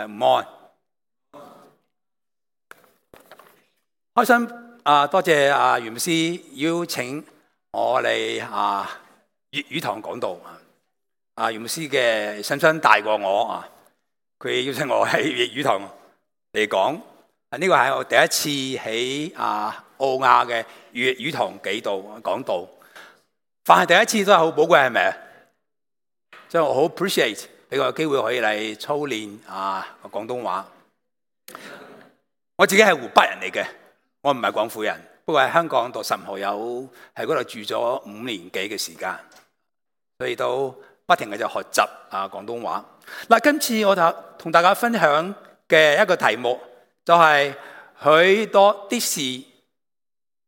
午安，開心多謝袁牧師邀請我嚟粵語堂講道。袁牧師嘅身份大過我佢邀請我喺粵語堂嚟講。呢個係我第一次喺澳亞嘅粵語堂講道，凡係第一次都係好寶貴，係咪？所以我好 appreciate 俾個機會可以嚟操練廣東話。我自己係湖北人嚟嘅，我唔係廣府人，不過喺香港讀神學有喺嗰度住咗5年幾嘅時間，所以都不停嘅就學習廣東話。今次我就同大家分享嘅一個題目就係許多的事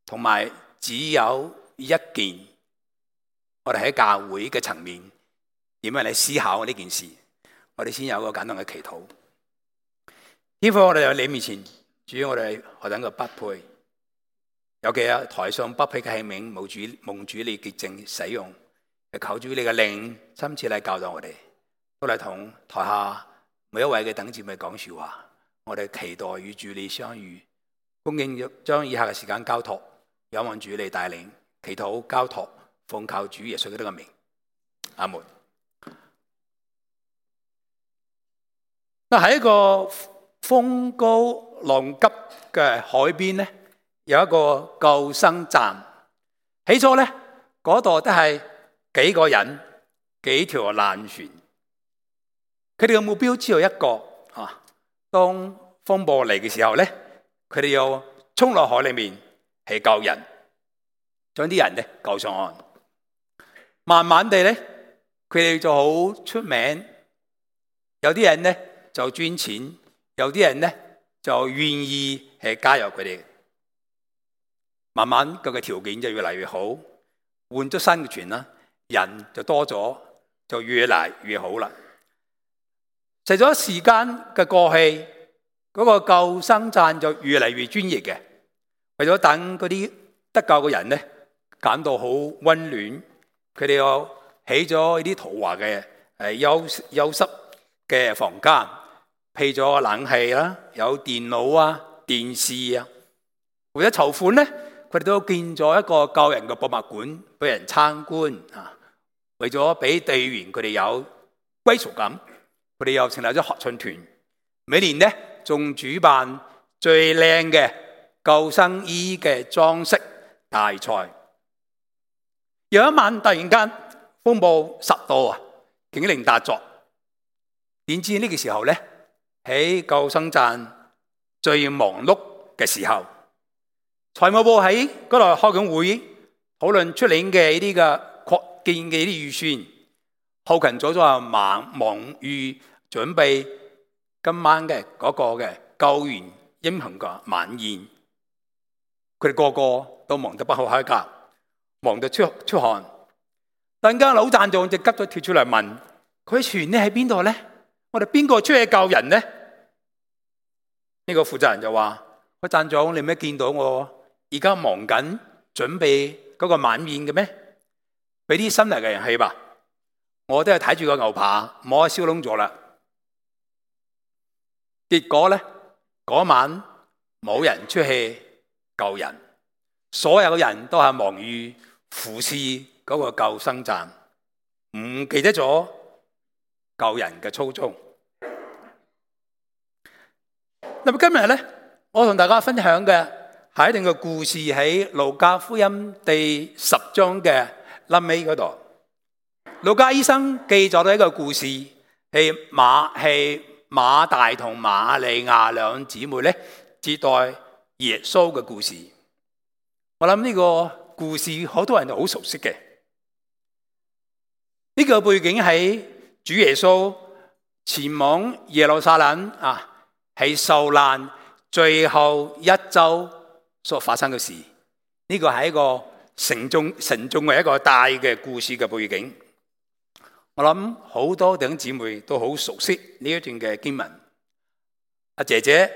同埋只有一件，我哋喺教會嘅層面點樣嚟思考呢件事。我哋先有個簡單嘅祈禱。天父，我哋喺你面前，主要我哋何等嘅不配，尤其係台上不配嘅器皿，蒙主你潔淨使用，求主你嘅靈親自嚟教導我哋，都嚟同台下每一位嘅弟兄姊妹講說話。我哋期待與主你相遇，恭敬將以下嘅時間交託，仰望主你帶領，祈禱交託，奉靠主耶穌基督嘅名，阿門。喺一個風高浪急嘅海邊咧，有一個救生站。起初咧，嗰度都係幾個人、幾條爛船，佢哋嘅目標只有一個當風暴嚟嘅時候咧，佢哋要衝落海裏面去救人，將啲人咧救上岸。慢慢地咧，佢哋就好出名，有啲人咧就捐錢，有啲人咧就願意去加入佢哋。慢慢佢嘅條件就越嚟越好，換咗新嘅船啦，人就多咗，就越嚟越好啦。隨咗時間嘅過去，嗰個救生站就越嚟越專業嘅，為咗等嗰啲得救嘅人咧感到好溫暖，佢哋又起咗呢啲豪華嘅休息嘅房間，配咗冷氣啦，有電腦電視為咗籌款咧，佢哋都建咗一個救人嘅博物館俾人參觀為咗俾隊員佢哋有歸屬感，佢哋又成立咗合唱團，每年咧仲主辦最靚嘅救生衣嘅裝飾大賽。有一晚突然間風暴10度警鈴大作，點知呢個時候咧喺救生站最忙碌嘅時候，財務部喺嗰度開緊會，討論出年嘅呢啲嘅擴建嘅啲預算。後勤組就忙於準備今晚嘅嗰個嘅救援英雄嘅晚宴，佢哋個個都忙得不可開交，忙得出汗。突然間老站長就急咗跳出嚟問：佢船咧喺邊度咧？我哋邊個出去救人咧？呢個負責人就話：個站長，你咩見到我而家忙緊準備嗰個晚宴嘅咩？俾啲新嚟嘅人去吧。我都係睇住個牛扒，摸燒燶咗啦。結果咧，嗰晚冇人出去救人，所有嘅人都係忙於服侍嗰個救生站，唔記得咗救人嘅初衷。咁今日咧，我同大家分享嘅係一段嘅故事，喺路加福音第10章嘅臨尾嗰度。路加醫生記咗一個故事，係馬大同瑪利亞兩姊妹咧接待耶穌嘅故事。我諗呢個故事好多人都好熟悉嘅。呢個背景喺主耶穌前往耶路撒冷係受難最後一周所發生嘅事。呢個係一個沉重嘅一個大嘅故事嘅背景。我諗好多弟兄姊妹都好熟悉呢一段嘅經文。阿姐姐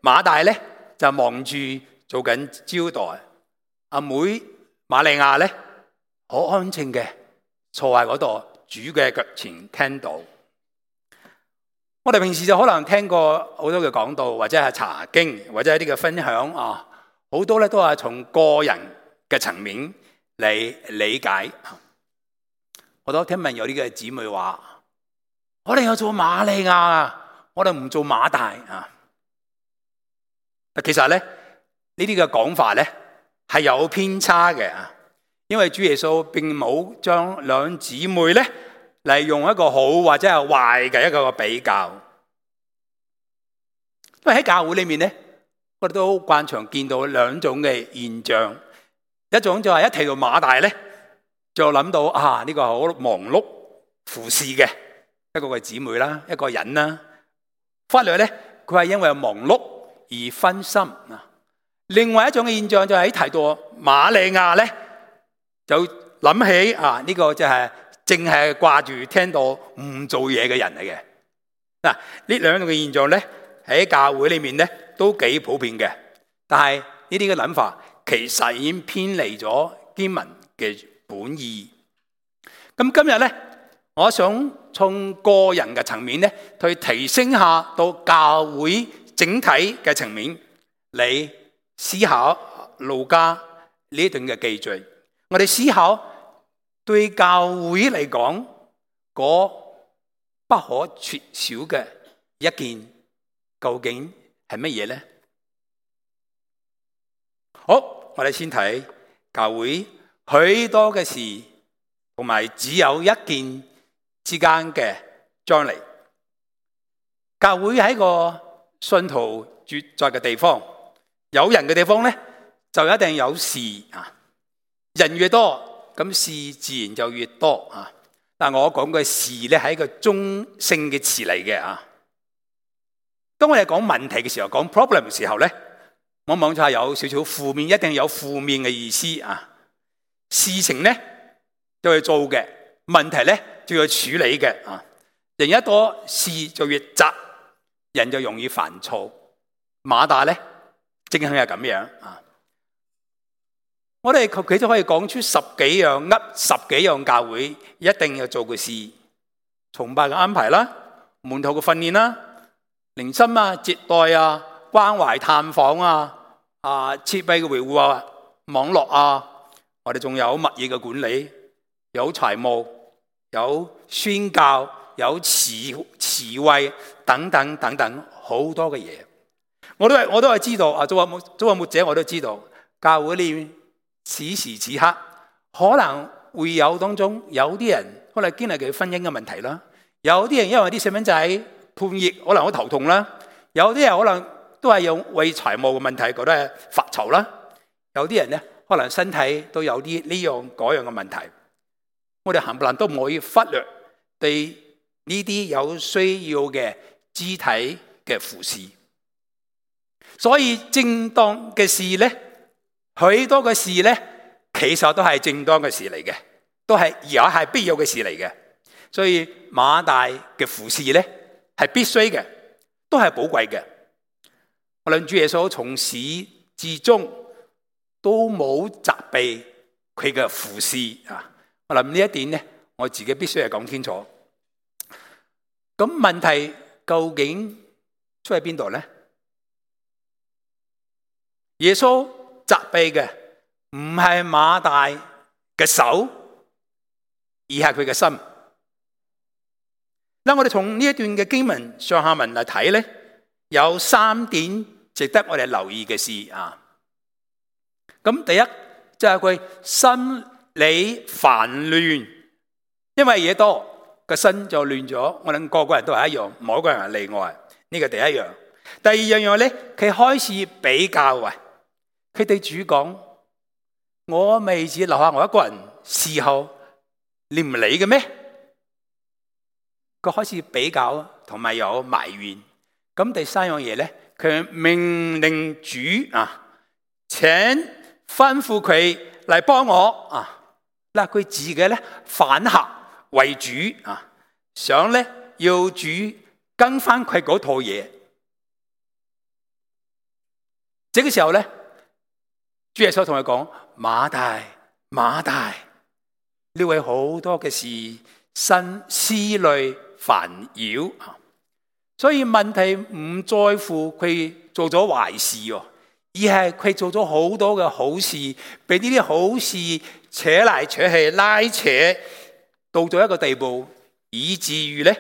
馬大咧就忙住做緊招待，阿妹瑪利亞咧好安靜嘅坐喺嗰度主嘅腳前聽到。我我哋平時就可能聽過好多嘅講道，或者係查經，或者一啲嘅分享啊，好多咧都係從個人嘅層面嚟理解。我都聽聞有啲嘅姊妹話：我哋要做瑪利亞啊，我哋唔做馬大啊。其實咧呢啲嘅講法咧係有偏差嘅啊，因為主耶穌並冇將兩姊妹咧嚟用一個好或者係壞嘅一個比較。因為喺教會裏面咧，我哋都慣常見到兩種嘅現象，一種就係一提到馬大咧，就諗到啊呢個好忙碌服侍嘅一個嘅姊妹啦，一個人啦。忽略咧佢係因為忙碌而分心啊。另外一種嘅現象就係喺提到瑪利亞咧，就諗起啊呢個就係淨係掛住聽到唔做嘢嘅人嚟嘅。嗱，呢兩種嘅現象咧喺教會裏面咧都幾普遍嘅，但係呢啲嘅諗法其實已經偏離咗經文嘅本意。咁今日咧，我想從個人嘅層面咧，去提升下到教會整體嘅層面嚟思考路加呢一段嘅記敘。我哋思考對教會嚟講，嗰不可缺少嘅一件，究竟係乜嘢呢？好，我哋先睇教會許多嘅事，同埋只有一件之間嘅張力。教會喺個信徒住在嘅地方，有人嘅地方咧，就一定有事啊。人越多，咁事自然就越多啊。但我講嘅事咧，係一個中性嘅詞嚟嘅啊。當我哋講問題嘅時候，講 problem 嘅時候咧，往往就係有少少負面，一定有負面嘅意思啊。事情咧就要做嘅，問題咧就要處理嘅啊。人一多，事就越雜，人就容易煩躁。馬大咧正係咁樣啊。我哋佢都可以講出十幾樣教會一定要做嘅事，崇拜嘅安排啦，門徒嘅訓練啦，靈心啊、接待啊、關懷探訪啊、設備嘅維護啊、網絡啊，我哋仲有物業嘅管理，有財務，有宣教，有慈惠等等等等，好多嘅嘢。我都係知道啊，做個牧者我都知道，教會裏面此時此刻可能會有當中有啲人可能經歷佢婚姻嘅問題啦，有啲人因為啲細蚊仔判役可能好頭痛啦，有啲人可能都係為財務嘅問題覺得係發愁啦，有啲人咧可能身體都有啲呢樣嗰樣嘅問題。我哋冚唪唥都唔可以忽略對呢啲有需要嘅肢體嘅服侍。所以正當嘅事咧，許多嘅事咧，其實都係正當嘅事嚟嘅，都係而且係必要嘅事嚟嘅。所以馬大嘅服侍咧係必須嘅，都係寶貴嘅。我諗主耶穌從始至終都冇責備佢嘅服侍啊。我諗呢一點咧，我自己必須係講清楚。咁問題究竟出喺邊度咧？耶穌責備嘅唔係馬大嘅手，而係佢嘅心。嗱，我哋從呢一段嘅經文上下文嚟睇咧，有3點值得我哋留意嘅事啊。咁第一就係佢心理煩亂，因為嘢多，個心就亂咗。我諗個個人都係一樣，冇一個人係例外。呢個第一樣。第二樣咧，佢開始比較啊。佢對主講：我未只留下我一個人侍候，你唔理嘅咩？佢開始比較同埋有埋怨。咁第三樣嘢咧，佢命令主啊，請吩咐佢嚟幫我啊。嗱，佢自己咧反客為主啊，想咧要主跟翻佢嗰套嘢。這個時候咧，主耶穌同佢講：馬大，馬大，呢位好多嘅事，心思慮煩擾啊。所以問題唔在乎佢做咗壞事，而係佢做咗好多嘅好事，俾呢啲好事扯嚟扯去，拉扯到咗一個地步，以至於咧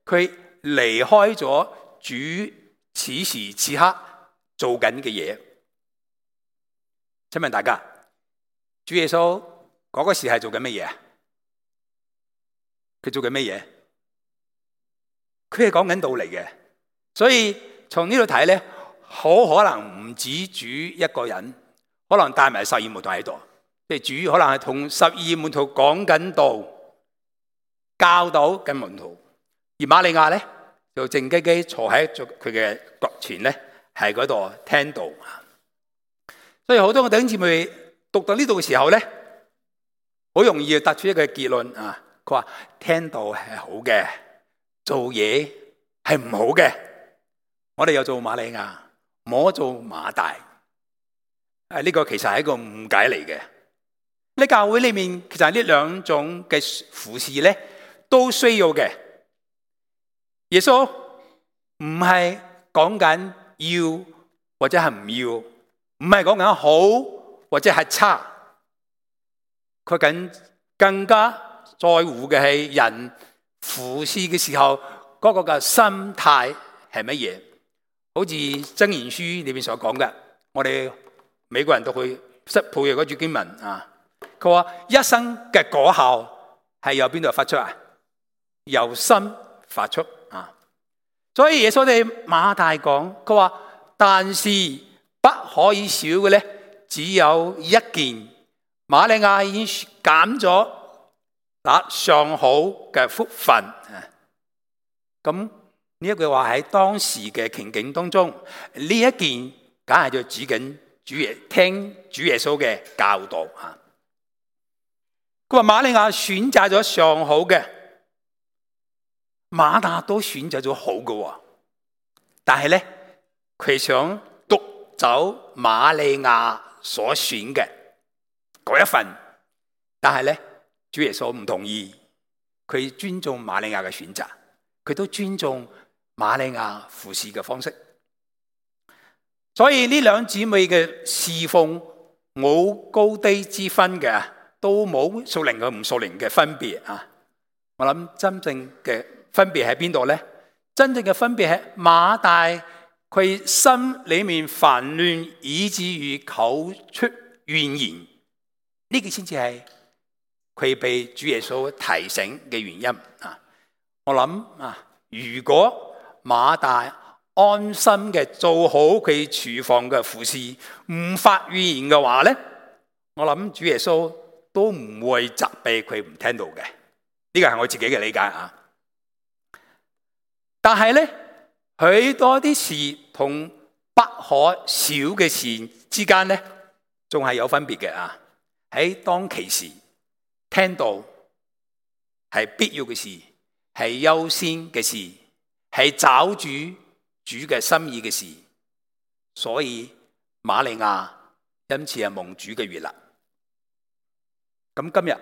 佢離開咗主此時此刻做緊嘅嘢。請問大家，主耶穌嗰個時係做緊乜嘢？佢做緊乜嘢？佢係講緊道理嘅，所以從呢度睇咧，好可能唔止主一個人，可能帶埋12門徒喺度，即係主可能係同12門徒講緊道，教導緊門徒，而瑪利亞咧就靜雞雞坐喺佢嘅腳前咧，喺嗰度聽道。所以好多嘅弟兄姊妹讀到呢度嘅時候咧，好容易得出一個結論啊！佢話聽道係好嘅，做嘢係唔好嘅。我哋又做瑪利亞，唔好做馬大。呢個其實係一個誤解嚟嘅。喺教會裏面，其實呢兩種嘅服侍咧都需要嘅。耶穌唔係講緊要或者係唔要，唔係講緊好或者係差，佢更加在乎嘅係人服侍嘅時候嗰個嘅心態係乜嘢。好似箴言書裏面所講嘅，我哋美國人都去識背嘅嗰句經文啊，佢話一生嘅果效係由邊度發出啊？由心發出啊！所以耶穌對馬大講，佢話但是不可以少嘅咧，只有一件。瑪利亞已經揀咗那上好嘅福分啊！咁呢一句話喺當時嘅情景當中，呢一件梗係就指緊聽主耶穌嘅教導啊！佢話瑪利亞選擇咗上好嘅，馬大都選擇咗好嘅，但係咧佢想奪走瑪利亞所選嘅嗰一份，但係咧主耶穌唔同意，佢尊重瑪利亞嘅選擇，佢都尊重瑪利亞服侍嘅方式。所以呢兩姊妹嘅侍奉冇高低之分嘅，都冇屬靈嘅唔屬靈嘅分別啊！我諗真正嘅分別喺邊度咧？真正嘅分別係馬大佢心裏面煩亂，以至於口出怨言。呢個先至係佢被主耶穌提醒嘅原因啊！我諗啊，如果馬大安心嘅做好佢廚房嘅服侍，唔發怨言嘅話咧，我諗主耶穌都唔會責備佢唔聽到嘅。呢個係我自己嘅理解啊！但係咧，許多啲事同不可少嘅事之間咧，仲係有分別嘅啊！喺當其時聽到係必要嘅事，係優先嘅事，係找主嘅心意嘅事，所以瑪利亞因此係蒙主嘅悅納。咁今日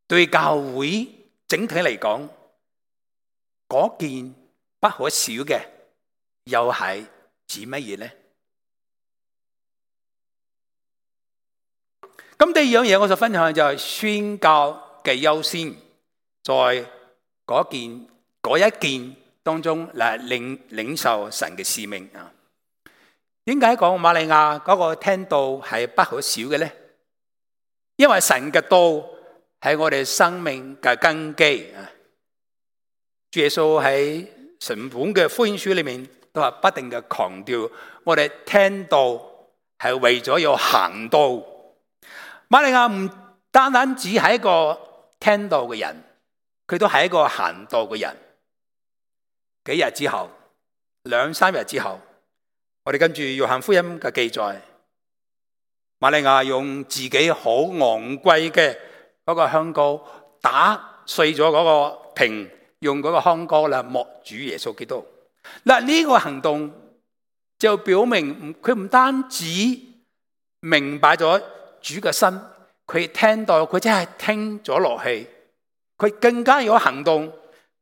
對教會整體嚟講，嗰件不可少嘅又係指乜嘢呢？咁第二樣嘢我就分享就係宣教嘅優先，在嗰一件當中嚟領受神嘅使命啊！點解講瑪利亞嗰個聽道係不可少嘅呢？因為神嘅道係我哋生命嘅根基啊！主耶穌喺成本嘅福音書裏面都係不定嘅強調，我哋聽道係為咗要行道。瑪利亞唔單單只係一個聽道嘅人，佢都係一個行道嘅人。幾日之後，2-3日之後，我哋跟住約翰福音嘅記載，瑪利亞用自己好昂貴嘅嗰個香膏打碎咗嗰個瓶，用嗰個香膏嚟抹主耶穌基督。嗱，呢個行動就表明佢唔單止明白咗主嘅心，佢聽到佢真係聽咗落去，佢更加有行動，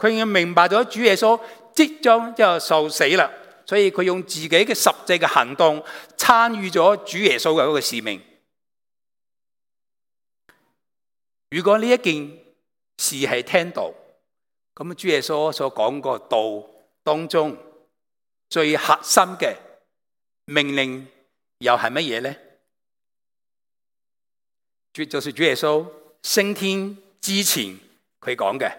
佢已經明白咗主耶穌即將就受死啦，所以佢用自己嘅實際嘅行動參與咗主耶穌嘅嗰個使命。如果呢一件事係聽到，咁主耶穌所講個道當中最核心嘅命令又係乜嘢呢？就是主耶穌升天之前佢講嘅，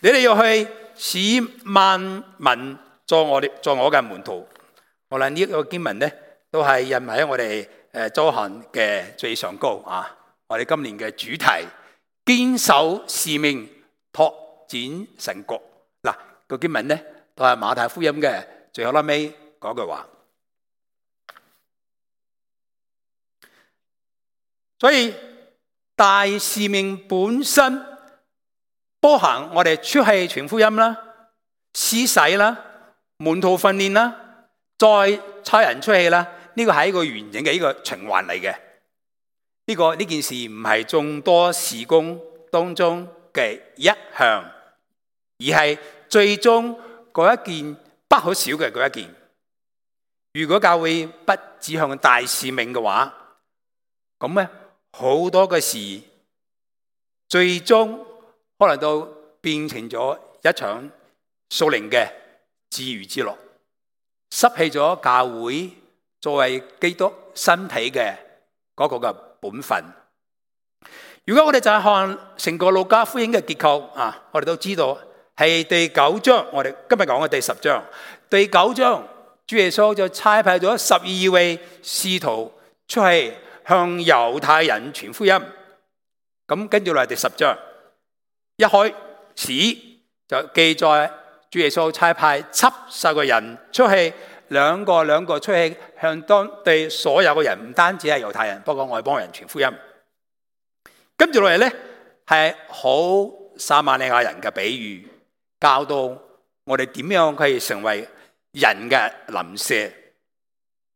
你哋要去使萬民做我嘅門徒。好啦，呢一個經文呢都係印喺我哋周刊嘅最上高啊！我哋今年嘅主題，堅守使命，拓展神國。嗱，個經文呢都係馬太福音嘅最後尾嗰句話。所以大使命本身包含我哋出去傳福音啦、施洗啦、門徒訓練啦、再差人出去啦，呢個係一個完整嘅一個循環嚟嘅。呢件事唔係眾多事工當中嘅一項，而係最終嗰一件不可少嘅嗰一件。如果教會不指向大使命嘅話，咁咧好多嘅事最終可能都變成咗一場屬靈嘅自娛自樂，失去咗教會作為基督身體嘅嗰個嘅本分。如果我哋就係看成個路加福音嘅結構啊，我哋都知道係第9章，我哋今日講嘅第10章。第9章，主耶穌就差派咗12位使徒出去向猶太人傳福音。咁跟住落嚟第10章，一開始就記載主耶穌差派70個人出去，兩個出去向當地所有嘅人，唔單止係猶太人，包括外邦人傳福音。跟住落嚟呢，係好撒瑪利亞人嘅比喻，教導我哋點樣可以成為人嘅鄰舍。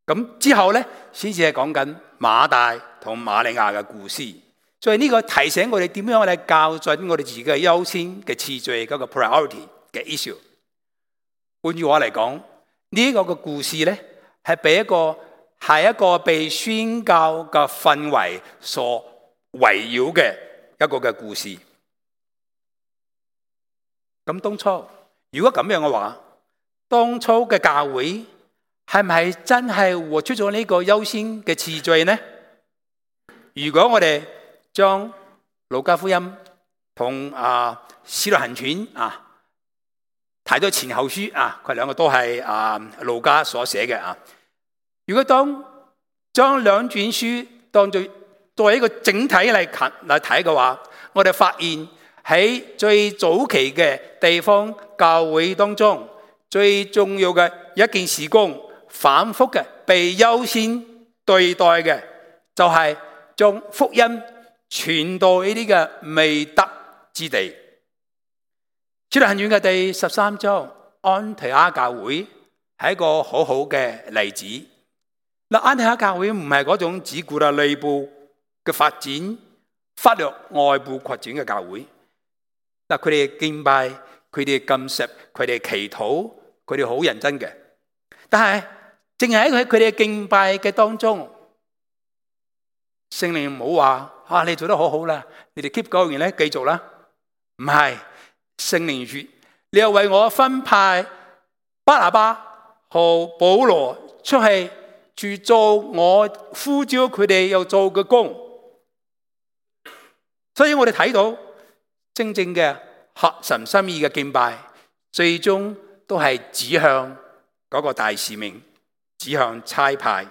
咁之後呢，先至係講緊馬大同瑪利亞嘅故事。所以呢個提醒我哋點樣嚟校準我哋自己嘅優先嘅次序，嗰個 priority 嘅 issue。換句話嚟講，呢個嘅故事呢，係一個被宣教嘅氛圍所圍繞嘅一個嘅故事。咁當初如果咁樣嘅話，當初嘅教會係唔係真係活出咗呢個優先嘅次序呢？如果我哋將路加福音同使徒行傳睇咗前後書佢兩個都係路加所寫嘅。如果將兩卷書當作為一個整體嚟睇嘅話，我哋發現喺最早期嘅地方教會當中，最重要嘅一件事工，反覆嘅被優先對待嘅，就係將福音傳到呢啲嘅未得之地。使徒行傳嘅第13章，安提阿教會係一個好好嘅例子。安提阿教會唔係嗰種只顧啦內部嘅發展，忽略外部擴展嘅教會。佢哋敬拜，佢哋禁食，佢哋祈禱，佢哋好認真嘅。但係淨係喺佢哋敬拜嘅當中，聖靈唔好話你做得好好啦，你哋 keep going 咧，繼續啦。唔係，聖靈說你又為我分派巴拿巴和保羅出去做我呼召佢哋要做嘅工。所以我哋睇到真正嘅合神心意嘅敬拜，最終都係指向嗰個大使命，指向差派。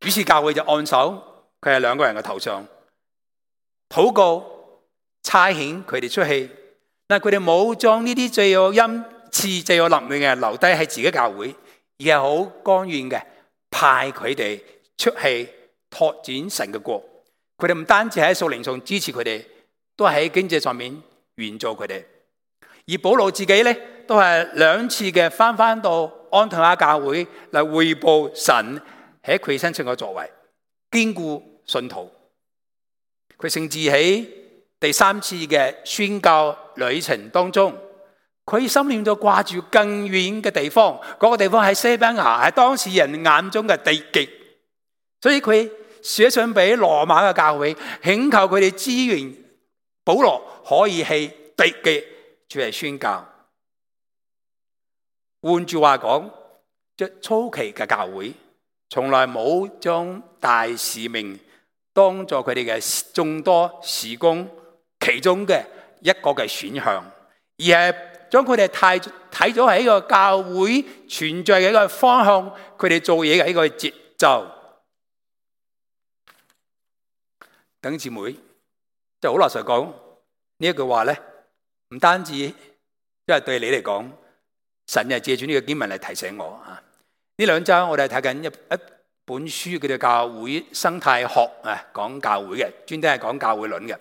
於是教會就按手佢係兩個人嘅頭上，禱告差遣佢哋出去。但佢哋冇將呢啲最有恩賜、最有能力嘅人留低喺自己教會，而係好甘願嘅派佢哋出去拓展神嘅國。佢哋唔單止喺屬靈上支持佢哋，都係喺經濟上面援助佢哋。而保羅自己咧，都係2次嘅翻到安提阿教會嚟匯報神喺佢身上嘅作為，堅固信徒。佢甚至喺第3次嘅宣教旅程當中，佢心念就掛住更遠嘅地方，嗰個地方喺西班牙，係當時人眼中嘅地極，所以佢寫信俾羅馬嘅教會，請求佢哋支援保羅可以去地極出嚟宣教。換句話講，即初期嘅教會從來冇將大使命當作佢哋嘅眾多事工其中嘅一個嘅選項，而係將佢哋睇咗係一個教會存在嘅一個方向，佢哋做嘢嘅一個節奏。弟兄姊妹，即係好老實講，呢一句話咧，唔單止因為對你嚟講，神係借住呢個經文嚟提醒我啊。呢2週我哋睇緊一本書，叫做《教會生態學》啊，講教會嘅，專登係講教會論嘅。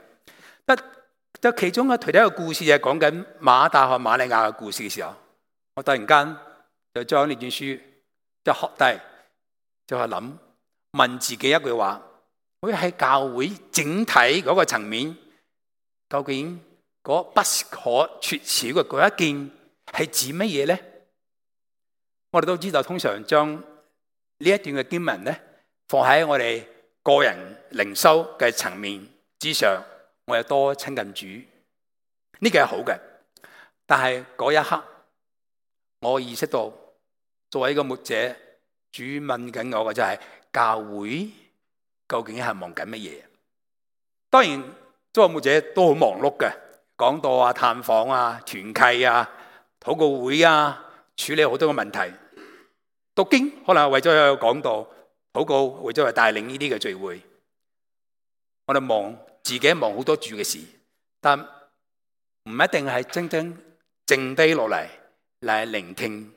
就其中嘅其中一個故事就係講緊馬大和瑪利亞嘅故事嘅時候，我突然間就將呢卷書就學低，就係諗問自己一句話：好似喺教會整體嗰個層面，究竟嗰不可缺少嘅嗰一件係指乜嘢咧？我哋都知道，通常將呢一段嘅經文咧放喺我哋個人靈修嘅層面之上，我有多親近主，呢個係好嘅。但係嗰一刻，我意識到作為一個牧者，主問緊我嘅就係教會究竟係忙緊乜嘢？當然，作為牧者都好忙碌嘅，講道啊、探訪啊、團契啊、禱告會啊，處理好多嘅問題。讀經可能係為咗有講道，禱告為咗係帶領呢啲嘅聚會。我哋忙自己忙好多主嘅事，但唔一定係真正靜低落嚟聆聽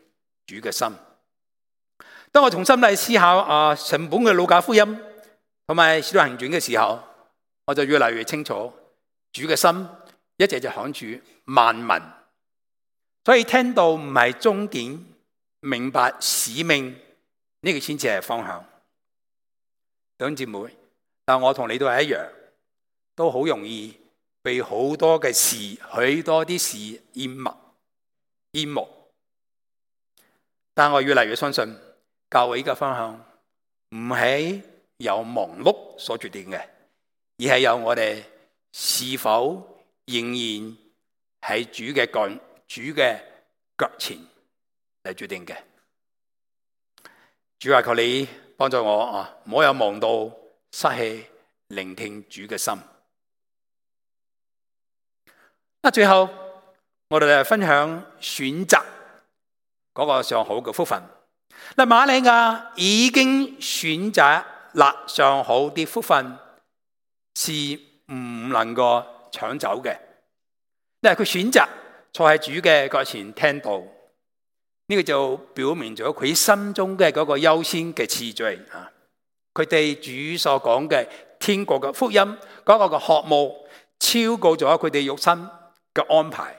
主嘅心。當我重新嚟思考成本嘅路加福音同埋使徒行傳嘅時候，我就越嚟越清楚主嘅心一直就看住萬民，所以聽到唔係終點，明白使命呢個先至係方向。弟兄姊妹，但我同你都係一樣，都好容易被好多嘅事、許多啲事淹沒。但我越嚟越相信教會嘅方向唔係由忙碌所決定嘅，而係由我哋是否仍然喺主嘅腳前嚟決定嘅。主啊，求你幫助我唔好有忙到失去聆聽主嘅心。最後我哋嚟分享選擇嗰個上好嘅福分。瑪利亞已經選擇了上好啲福分，是唔能夠搶走嘅。佢選擇坐喺主嘅腳前聽道，呢個就表明咗佢心中嘅嗰個優先嘅次序啊！佢對主所講嘅天國嘅福音嗰個嘅渴慕，超過咗佢哋肉身嘅安排。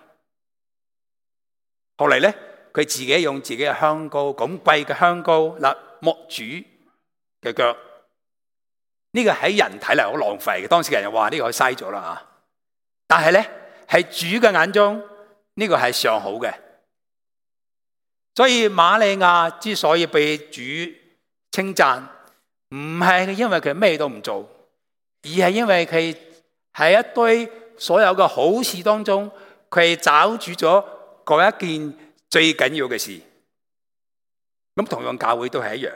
後嚟咧，佢自己用自己嘅香膏，咁貴嘅香膏嚟抹主嘅腳，呢個喺人睇嚟好浪費嘅。當時嘅人話呢個嘥咗啦啊！但係咧，喺主嘅眼中，呢個係上好嘅。所以瑪利亞之所以被主稱讚，唔係因為佢咩都唔做，而係因為佢喺一堆所有嘅好事當中，佢找住咗嗰一件最緊要嘅事。咁同樣教會都係一樣，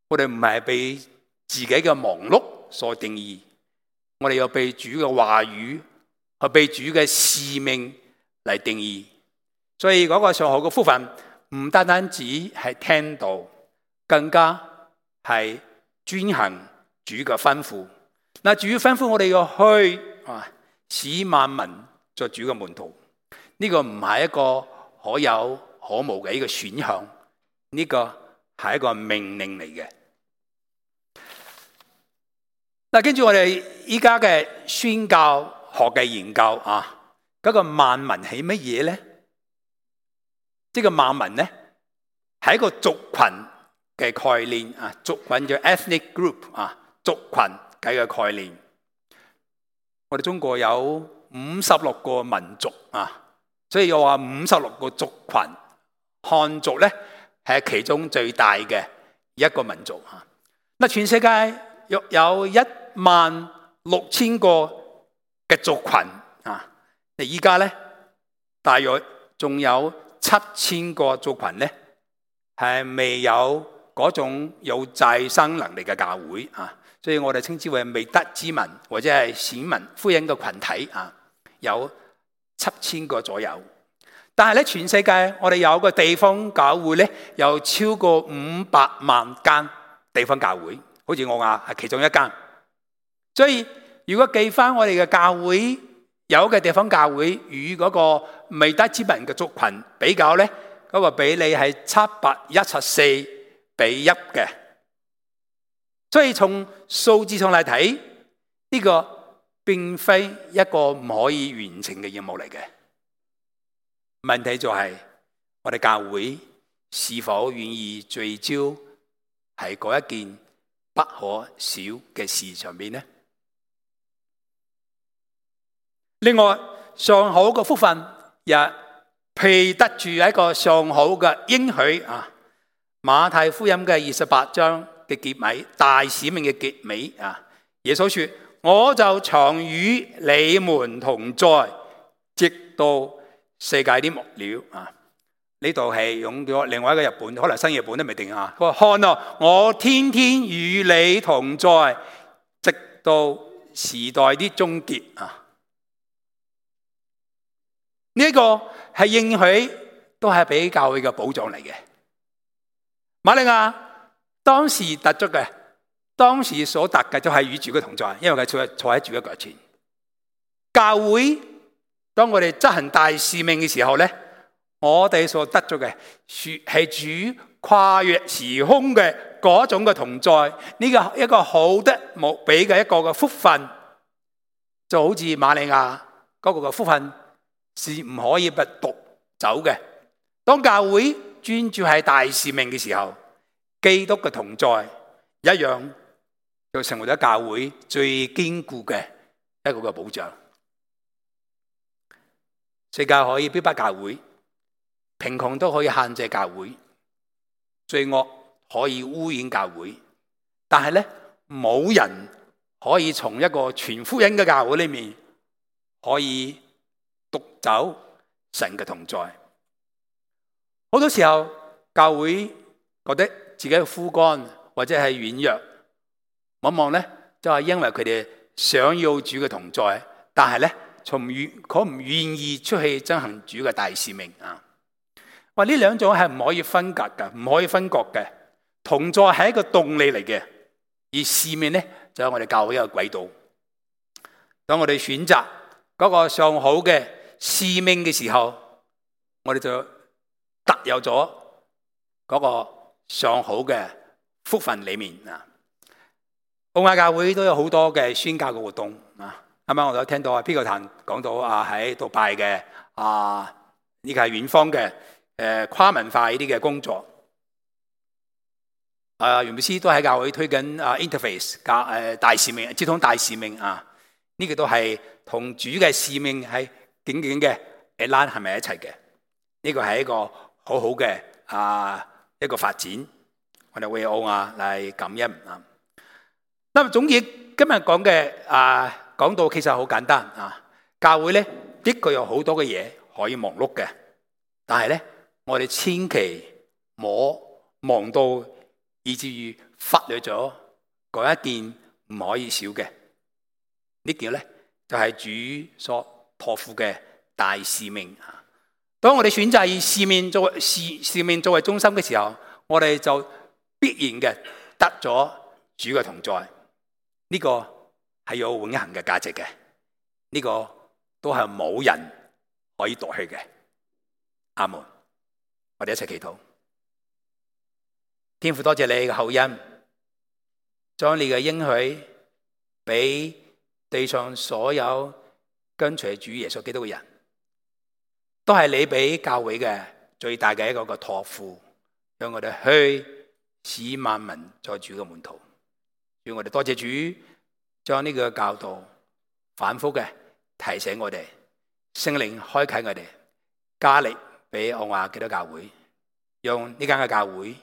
我哋唔係被自己嘅忙碌所定義，我哋要被主嘅話語和被主嘅使命嚟定義。所以嗰個上好嘅福分唔單單只係聽道，更加係遵行主嘅吩咐。主吩咐我哋要去使萬民作主嘅門徒，呢個唔係一個可有可無嘅一個選項，呢個係一個命令嚟嘅。跟住我哋依家嘅宣教學嘅研究嗰個萬民係乜嘢咧？即係萬民咧，係一個族群嘅概念族群叫 ethnic group 族群嘅概念。我哋中國有56個民族啊，所以又話56個族群。漢族咧係其中最大嘅一個民族啊。嗱，全世界約有16000個嘅族群啊。而家咧大約仲有7000個族群咧係未有嗰種有再生能力嘅教會啊。所以我哋稱之為未得之民或者係選民福音嘅群體啊，有7000個左右。但係咧，全世界我哋有個地方教會咧，有超過500萬間地方教會，好似我話係其中一間。所以如果計翻我哋嘅教會有嘅地方教會與嗰個未得之民嘅族群比較咧，嗰個比例係714:1嘅。所以從數字上嚟睇，呢個並非一個唔可以完成嘅任務嚟嘅。問題就係我哋教會是否願意聚焦喺嗰一件不可少嘅事上面呢？另外，上好嘅福分也配得住一個上好嘅應許啊！馬太福音嘅28章嘅結尾，大使命嘅結尾啊！耶穌說：我就常與你們同在，直到世界的末了啊！呢度係用咗另外一個日本，可能新譯本都未定啊。佢話：看啊，我天天與你同在，直到時代的終結啊！呢一個係應許，都係俾教會嘅保障嚟嘅。瑪利亞當時得咗嘅，當時所得嘅就係與主嘅同在，因為佢坐喺主嘅腳前。教會當我哋執行大使命嘅時候咧，我哋所得咗嘅係主跨越時空嘅嗰種嘅同在，呢個一個好得無比嘅一個嘅福分，就好似瑪利亞嗰個嘅福分是唔可以不奪走嘅。當教會專注喺大使命嘅時候，基督嘅同在一樣就成為咗教會最堅固嘅一個嘅保障。世界可以逼迫教會，貧窮都可以限制教會，罪惡可以污染教會，但係咧冇人可以從一個全福音嘅教會裏面可以奪走神嘅同在。好多時候教會覺得自己嘅枯乾或者係軟弱，往往咧就係因為佢哋想要主嘅同在，但係咧佢唔願意出去執行主嘅大使命啊！話呢兩種係唔可以分隔嘅，唔可以分割嘅。同在係一個動力嚟嘅，而使命咧就係我哋教會一個軌道。當我哋選擇嗰個上好嘅使命嘅時候，我哋就特有咗嗰個上好嘅福分裏面啊！澳亞教會都有好多嘅宣教嘅活動啊！啱啱我都聽到啊，P 個壇講到啊，喺杜拜嘅呢個係遠方嘅跨文化呢啲嘅工作。袁牧師都喺教會推緊interface 大使命，接通大使命啊！呢個都係同主嘅使命係緊緊嘅拉係咪一齊嘅？呢個係一個好好嘅一個發展，我哋為澳亞嚟感恩啊！咁總結今日講嘅講到其實好簡單啊！教會咧的確有好多嘅嘢可以忙碌嘅，但係咧我哋千祈唔好忙到以至於忽略咗嗰一件唔可以少嘅。呢件咧就係主所託付嘅大使命啊！當我哋選擇以使命作為中心嘅時候，我哋就必然嘅得咗主嘅同在。呢個係有永恆嘅價值嘅，呢個都係冇人可以奪去嘅。阿門！我哋一齊祈禱。天父，多謝你嘅厚恩，將你嘅應許俾地上所有跟隨主耶穌基督嘅人，都係你俾教會嘅最大嘅一個託付，讓我哋去使萬民作主嘅門徒。願我哋多謝主，將呢個教導反覆嘅提醒我哋，聖靈開啟我哋，加力俾澳亞基督教會，用呢間嘅教會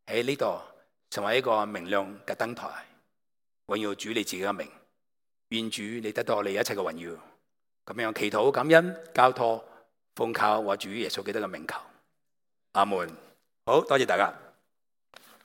喺呢度成為一個明亮嘅燈台，榮耀主你自己嘅名。願主你得到你一切嘅榮耀。咁樣祈禱感恩交託，奉靠我主耶穌基督嘅名求，阿門。好多謝大家。